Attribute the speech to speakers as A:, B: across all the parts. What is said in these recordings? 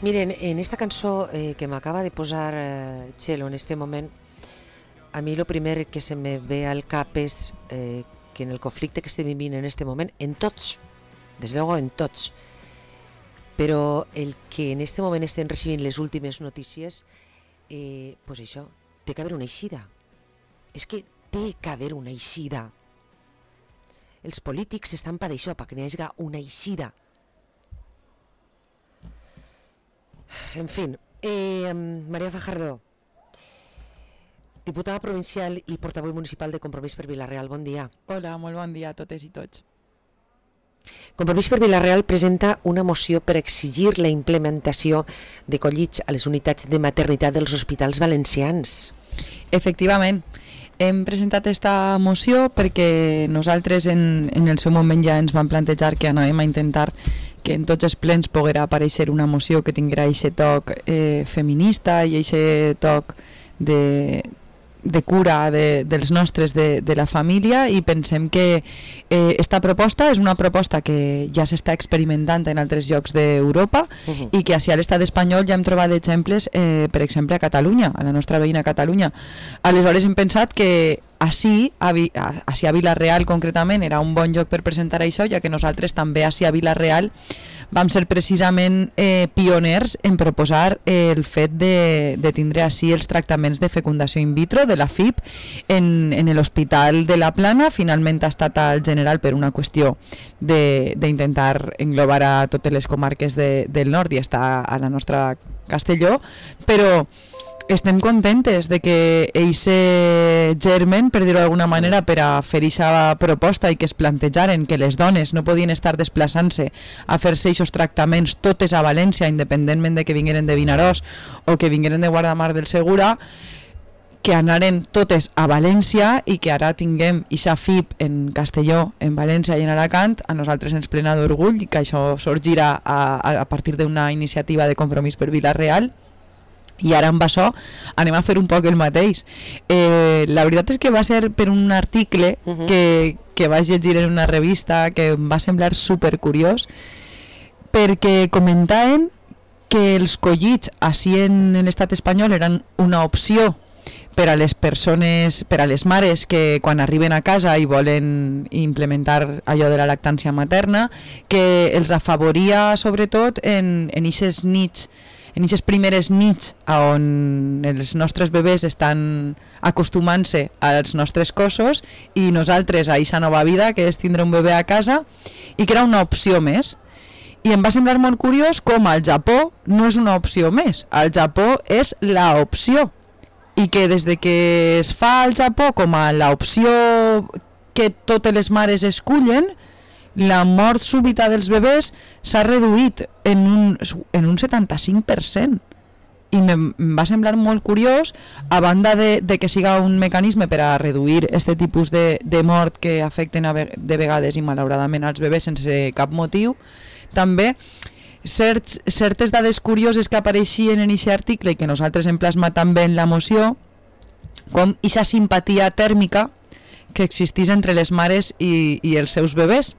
A: Miren, en esta cançó que m'acaba de posar Txelo en este moment, a mi lo primer que se me ve al cap és que en el conflicte que estem vivint en este moment, en tots, des luego en tots, però el que en este moment estem recibint les últimes notícies, pues això, té que haver una eixida. És que té que haver una eixida. Els polítics estan per això, perquè n'hi hagi una eixida. En fin, María Fajardo, diputada provincial i portaveu municipal de Compromís per Vila-real, bon dia.
B: Hola, molt bon dia a totes i tots.
A: Compromís per Vila-real presenta una moció per exigir la implementació de collits a les unitats de maternitat dels hospitals valencians.
B: Efectivament, hem presentat aquesta moció perquè nosaltres en el seu moment ja ens vam plantejar que anàvem a intentar que en tots els plens poguera aparèixer una moció que tinguera aquest toc feminista i aquest toc de cura dels nostres, de la família, i pensem que esta proposta és una proposta que ja s'està experimentant en altres llocs d'Europa i que així a l'estat espanyol ja hem trobat exemples, per exemple a Catalunya, a la nostra veïna Catalunya. Aleshores hem pensat que així a Vila-real concretament era un bon lloc per presentar això, ja que nosaltres també així a Vila-real vam ser precisament pioners en proposar el fet de tindre així els tractaments de fecundació in vitro de la FIP en l'Hospital de la Plana. Finalment ha estat al General per una qüestió d'intentar englobar a totes les comarques del nord i està a la nostra Castelló, però estem contentes de que eixe germen, per dir-ho d'alguna manera, per a fer aquesta proposta i que es plantejaren que les dones no podien estar desplaçant-se a fer-se aquests tractaments totes a València, independentment de que vingueren de Vinaròs o que vingueren de Guardamar del Segura, que anaren totes a València i que ara tinguem aquesta FIP en Castelló, en València i en Alacant. A nosaltres ens plena d'orgull que això sorgirà a partir d'una iniciativa de Compromís per Vila-real. I ara amb això anem a fer un poc el mateix. La veritat és que va ser per un article que vaig llegir en una revista que em va semblar supercuriós, perquè comentaven que els collits així en l'estat espanyol eren una opció per a les persones, per a les mares que quan arriben a casa i volen implementar allò de la lactància materna, que els afavoria sobretot en aquestes nits, en aquestes primeres nits on els nostres bebès estan acostumant-se als nostres cossos i nosaltres a aquesta nova vida que és tindre un bebè a casa, i que era una opció més. I em va semblar molt curiós com al Japó no és una opció més, al Japó és l'opció, i que des de que es fa al Japó com a l'opció que totes les mares escullen, la mort súbita dels bebès s'ha reduït en un 75%. I em va semblar molt curiós, a banda de que siga un mecanisme per a reduir aquest tipus de mort que afecten de vegades i malauradament als bebès sense cap motiu, també certes dades curioses que apareixien en aquest article i que nosaltres hem plasmat també en la moció, com aquesta simpatia tèrmica que existís entre les mares i els seus bebès,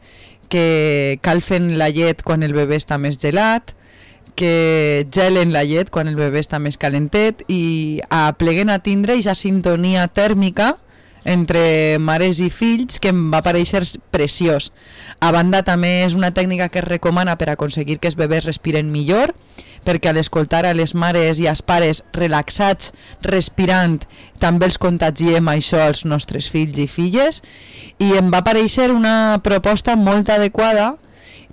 B: que calfen la llet quan el bebè està més gelat, que gelen la llet quan el bebè està més calentet, i apleguen a tindre aquesta sintonia tèrmica entre mares i fills que em va parèixer preciós. A banda també és una tècnica que es recomana per aconseguir que els bebès respiren millor, perquè al escoltar a les mares i als pares relaxats respirant també els contagiem això als nostres fills i filles, i em va parèixer una proposta molt adequada.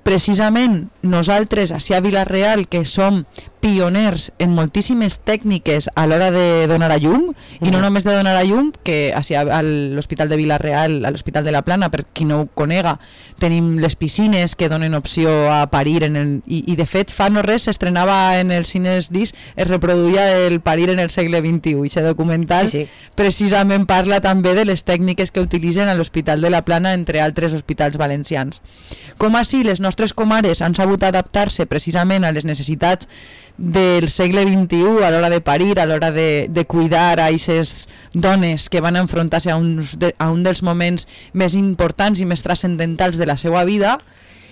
B: Precisament nosaltres a Vila-real, que som pioners en moltíssimes tècniques a l'hora de donar a llum, i no només de donar a llum, que a l'Hospital de Vila-real, a l'Hospital de la Plana, per qui no ho conega, tenim les piscines que donen opció a parir i de fet fa no res s'estrenava en els cines DIS, es reproduïa el parir en el segle XXI, i aquest documental precisament parla també de les tècniques que utilitzen a l'Hospital de la Plana, entre altres hospitals valencians. Com així les nostres comares han sabut adaptar-se precisament a les necessitats del segle XXI a l'hora de parir, a l'hora de cuidar a aquestes dones que van enfrontar-se a un dels moments més importants i més transcendentals de la seva vida,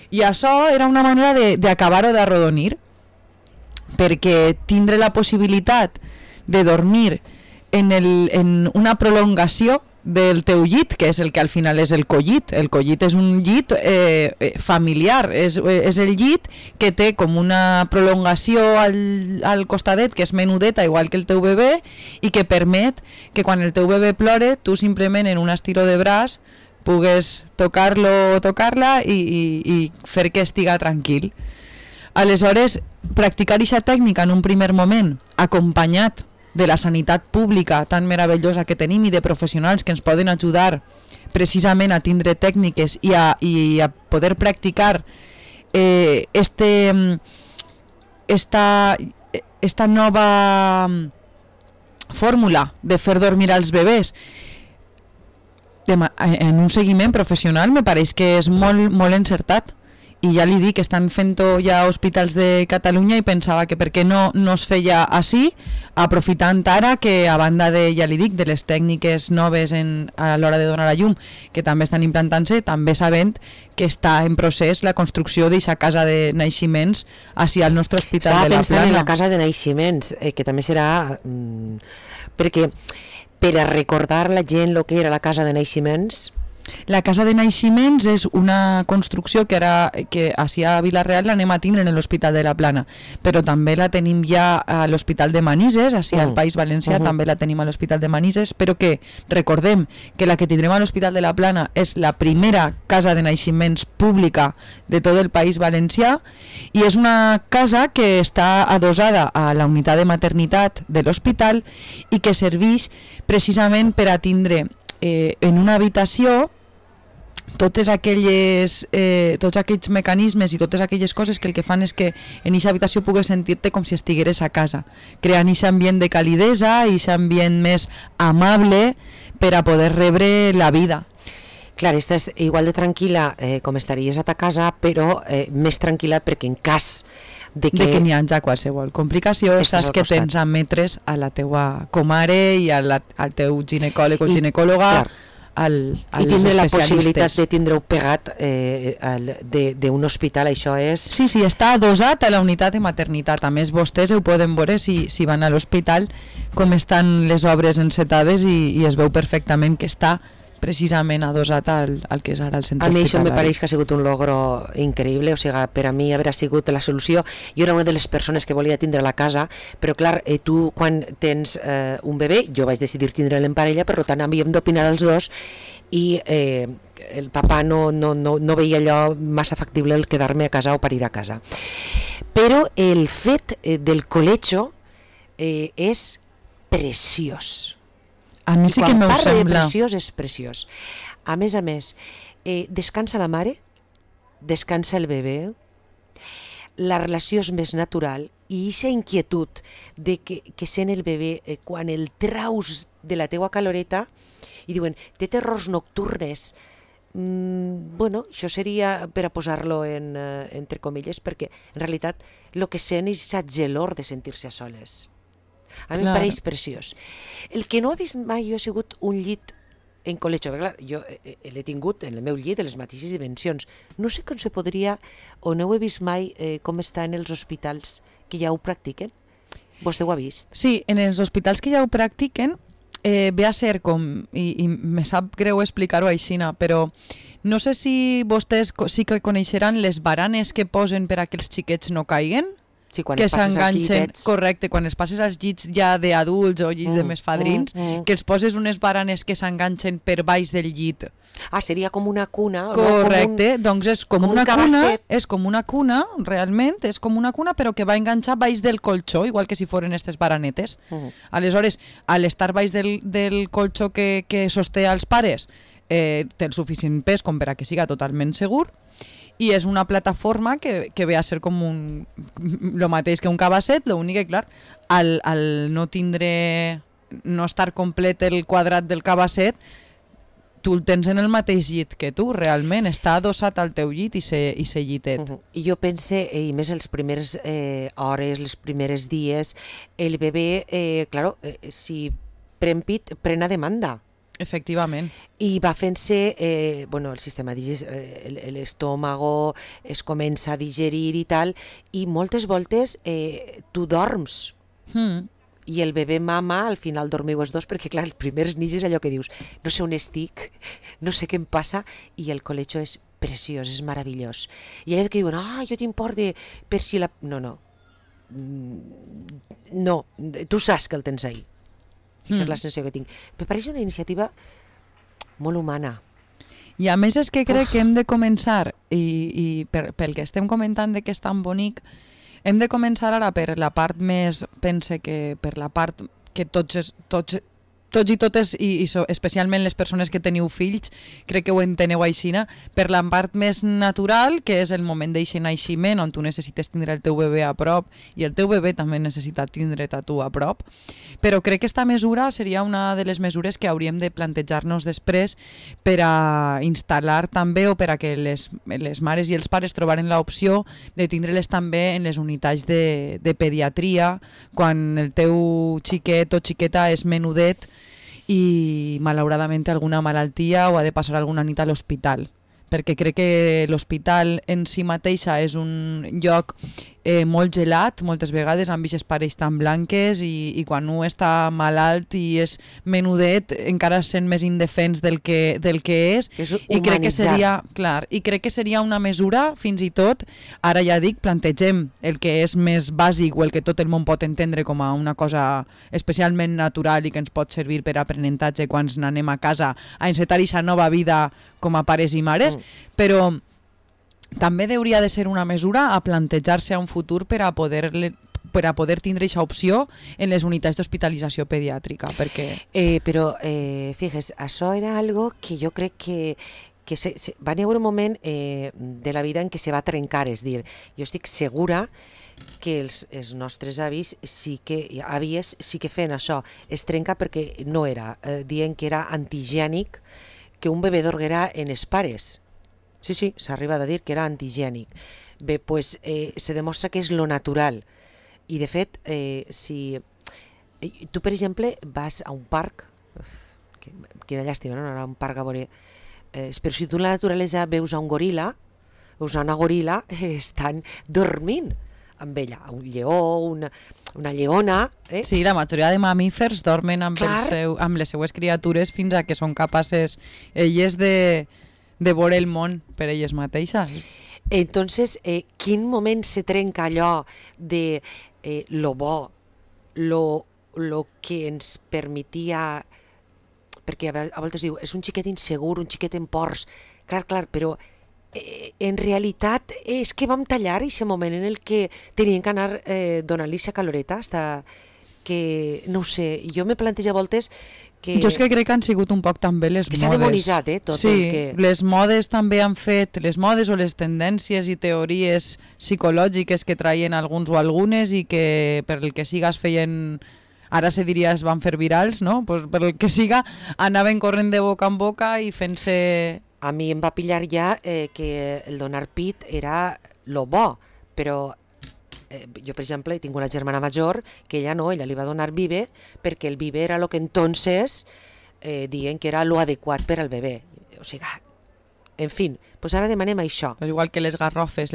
B: i això era una manera d'acabar-ho d'arrodonir. perquè tindre la possibilitat de dormir en una prolongació del teu llit, que és el que al final és el collit. El collit és un llit familiar, és el llit que té com una prolongació al costadet, que és menudeta, igual que el teu bebè, i que permet que quan el teu bebè plore, tu simplement en un estiró de braç pugues tocar-lo o tocar-la i fer que estiga tranquil. Aleshores, practicar aquesta tècnica en un primer moment, acompanyat de la sanitat pública tan meravellosa que tenim i de professionals que ens poden ajudar precisament a tindre tècniques i a poder practicar esta nova fórmula de fer dormir als bebès en un seguiment professional me pareix que és molt encertat. I ja li dic, estan fent-ho ja a hospitals de Catalunya i pensava que per què no es feia així, aprofitant ara que a banda de, ja li dic, de les tècniques noves a l'hora de donar a llum, que també estan implantant-se, també sabent que està en procés la construcció d'aquesta casa de naixements així al nostre hospital de la Plana.
A: Estava pensant en la casa de naixements, que també serà... perquè per a recordar la gent el que era la casa de naixements...
B: La casa de naixements és una construcció que així a Vila-real l'anem a tindre en l'Hospital de la Plana, però també la tenim ja a l'Hospital de Manises, així al País Valencià també la tenim a l'Hospital de Manises, però que recordem que la que tindrem a l'Hospital de la Plana és la primera casa de naixements pública de tot el País Valencià i és una casa que està adosada a la unitat de maternitat de l'hospital i que serveix precisament per a tindre en una habitació tots aquells mecanismes i totes aquelles coses que el que fan és que en aquesta habitació pugues sentir-te com si estigueres a casa, creant aquest ambient de calidesa i aquest ambient més amable per a poder rebre la vida.
A: Clar, estàs igual de tranquil·la com estaries a ta casa, però més tranquil·la perquè en cas de que
B: n'hi hagi qualsevol complicació saps que tens a metres a la teua comare i al teu ginecòleg o ginecòloga,
A: i tindre la possibilitat de tindre-ho pegat d'un hospital, això és...
B: Sí, està adosat a la unitat de maternitat. A més, vostès ho poden veure si van a l'hospital com estan les obres encetades i es veu perfectament que està precisament adosat al que és ara el centre hospitalari.
A: A mi això me pareix que ha sigut un logro increïble, o sigui, per a mi haurà sigut la solució. Jo era una de les persones que volia tindre la casa, però clar, tu quan tens un bebè, jo vaig decidir tindre'l en parella, per tant havíem d'opinar els dos i el papà no veia allò massa factible el quedar-me a casa o parir a casa. Però el fet del colecho és preciós.
B: A mi sí que m'ho sembla.
A: Quan parla de preciós, és preciós. A més, descansa la mare, descansa el bebè, la relació és més natural i aquesta inquietud de que sent el bebè quan el traus de la teua caloreta i diuen, té terrors nocturnes, bueno, això seria per a posar-lo entre comilles, perquè en realitat el que sent és la gelor de sentir-se a soles. A mi em pareix preciós. El que no he vist mai jo ha sigut un llit en col·lecho, perquè clar, jo l'he tingut en el meu llit de les mateixes dimensions. No sé com se podria, o no ho he vist mai, com està en els hospitals que ja ho practiquen. Vostè ho ha vist?
B: Sí, en els hospitals que ja ho practiquen ve a ser com, i me sap greu explicar-ho aixina, però no sé si vostès sí que coneixeran les baranes que posen per a que els xiquets no caiguen.
A: Sí, quan
B: que
A: s'enganxen,
B: correcte, quan es passes als llits ja d'adults o llits de més fadrins, que els poses unes baranes que s'enganxen per baix del llit.
A: Ah, seria com una cuna.
B: Correcte, doncs és com una cuna, és com una cuna, realment, és com una cuna, però que va enganxar baix del colxó, igual que si foren aquestes baranetes. Aleshores, a l'estar baix del colxó que sosté als pares, té el suficient pes com per a que siga totalment segur, i és una plataforma que ve a ser com el mateix que un cabasset, l'únic que, clar, al no estar complet el quadrat del cabasset, tu el tens en el mateix llit que tu, realment, està adossat al teu llit i se llitet.
A: I jo pense, i més les primeres hores, els primers dies, el bebè, si pren pit, pren a demanda.
B: Efectivament.
A: I va fent-se, el sistema l'estómago es comença a digerir i tal, i moltes voltes tu dorms. I el bebè mama, al final dormiu els dos, perquè clar, els primers nits és allò que dius, no sé on estic, no sé què em passa, i el colecho és preciós, és meravellós. I allò que diuen, jo tinc por de per si la... No, tu saps que el tens ahí. Això és la sensació que tinc. Me pareix una iniciativa molt humana.
B: I a més és que crec que hem de començar, i pel que estem comentant de que és tan bonic, hem de començar ara per la part més, pense que per la part que tots i totes, i especialment les persones que teniu fills, crec que ho enteneu aixina, per la part més natural, que és el moment d'eixe naixement, on tu necessites tindre el teu bebè a prop, i el teu bebè també necessita tindre't a tu a prop. Però crec que aquesta mesura seria una de les mesures que hauríem de plantejar-nos després per a instal·lar també, o per a que les mares i els pares trobaren l'opció de tindre-les també en les unitats de pediatria, quan el teu xiquet o xiqueta és menudet i malauradament té alguna malaltia o ha de passar alguna nit a l'hospital, perquè crec que l'hospital en si mateixa és un lloc molt gelat, moltes vegades amb aquestes parells tan blanques, i quan un està malalt i és menudet encara sent més indefens del que és, i crec que seria, clar, i crec que seria una mesura, fins i tot, ara ja dic, plantegem el que és més bàsic o el que tot el món pot entendre com a una cosa especialment natural i que ens pot servir per aprenentatge quan anem a casa a encetar aquesta nova vida com a pares i mares, però també hauria de ser una mesura a plantejar-se a un futur per a poder tindre aquesta opció en les unitats d'hospitalització pediàtrica, perquè...
A: Fixes, això era algo que jo crec que va haver un moment de la vida en què se va trencar, és dir, jo estic segura que els nostres àvies sí que feien això, es trenca perquè no era, dient que era antihigiènic que un bebè dorguera en els pares. Sí, s'arriba a dir que era antihigiènic. Bé, doncs se demostra que és lo natural. I de fet, si tu, per exemple, vas a un parc, quina llàstima, no anar a un parc a veure, però si tu en la naturalesa veus a un goril·la, veus a una goril·la, estan dormint amb ella, un lleó, una lleona...
B: Sí, la majoria de mamífers dormen amb les seues criatures fins a que són capaces elles de veure el món per elles mateixes.
A: Entonces, quin moment se trenca allò de lo bo, lo que ens permetia... Perquè a voltes diu, és un xiquet insegur, un xiquet en ports. Clar, però en realitat és que vam tallar aquest moment en el que tenien que anar donant-li aquesta caloreta, que, no ho sé, jo me plantejo a voltes que...
B: Jo és que crec que han sigut un poc també les modes.
A: Que s'ha demonitzat, tot
B: sí,
A: el que...
B: les modes també han fet, les modes o les tendències i teories psicològiques que traien alguns o algunes i que per el que siga es feien... Ara se diria es van fer virals, no? Pues per el que siga anaven corrent de boca en boca i fent-se...
A: A mi em va pillar ja que el donar pit era lo bo, però jo, per exemple, tinc una germana major que ella li va donar bibe perquè el bibe era lo que entonces diuen que era lo adequat per al bebè. O sigui, en fi, pues ara demanem això.
B: Però igual que les garrofes,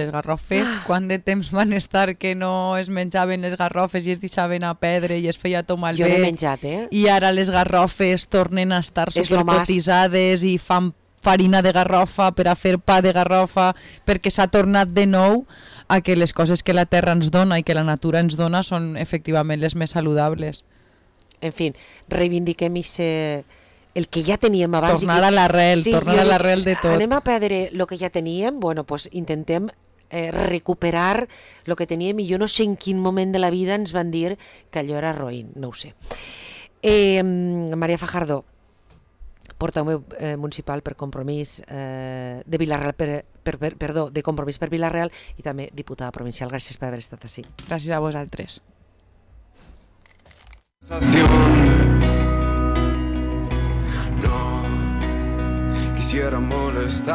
B: quant de temps van estar que no es menjaven les garrofes i es deixaven a perdre i es feia tot malbé.
A: Jo n'he menjat,
B: I ara les garrofes tornen a estar supercotitzades i fan farina de garrofa per a fer pa de garrofa, perquè s'ha tornat de nou a que les coses que la terra ens dona i que la natura ens dona són efectivament les més saludables.
A: En fi, reivindiquem el que ja teníem abans.
B: Tornar a l'arrel, tornar a l'arrel de tot.
A: Anem a perdre el que ja teníem, pues intentem recuperar el que teníem, i jo no sé en quin moment de la vida ens van dir que allò era roïn, no ho sé. Maria Fajardo, portaveu municipal per Compromís de Vila-real, de Compromís per Vila-real, i també diputada provincial. Gràcies per haver estat així.
B: Gràcies a vosaltres.
C: No quisiera molestar.